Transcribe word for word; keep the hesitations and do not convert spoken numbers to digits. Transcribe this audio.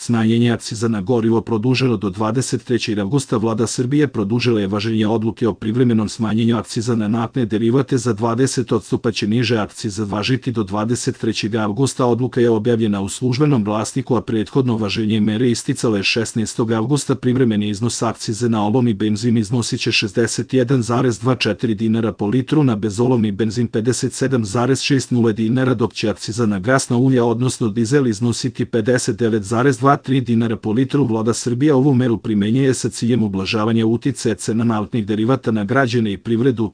Smanjenje akciza na gorivo produženo do dvadeset trećeg avgusta. Vlada Srbije produžila je važenje odluke o privremenom smanjenju akciza na naftne derivate za dvadeset posto, pa će niže akcize važiti do dvadeset trećeg avgusta. Odluka je objavljena u Službenom glasniku, a prethodno važenje mere isticalo je šesnaestog avgusta. Privremeni iznos akcize na olovni benzin iznosiće šezdeset jedan zarez dvadeset četiri dinara po litru, na bezolovni benzin pedeset sedam zarez šezdeset dinara, dok će akciza na gasna ulja, odnosno dizel, iznositi pedeset devet zarez dvadeset tri dinara po litru. Vlada Srbije ovu meru primenjuje sa ciljem ublažavanja uticaja cena naftnih derivata na građane i privredu.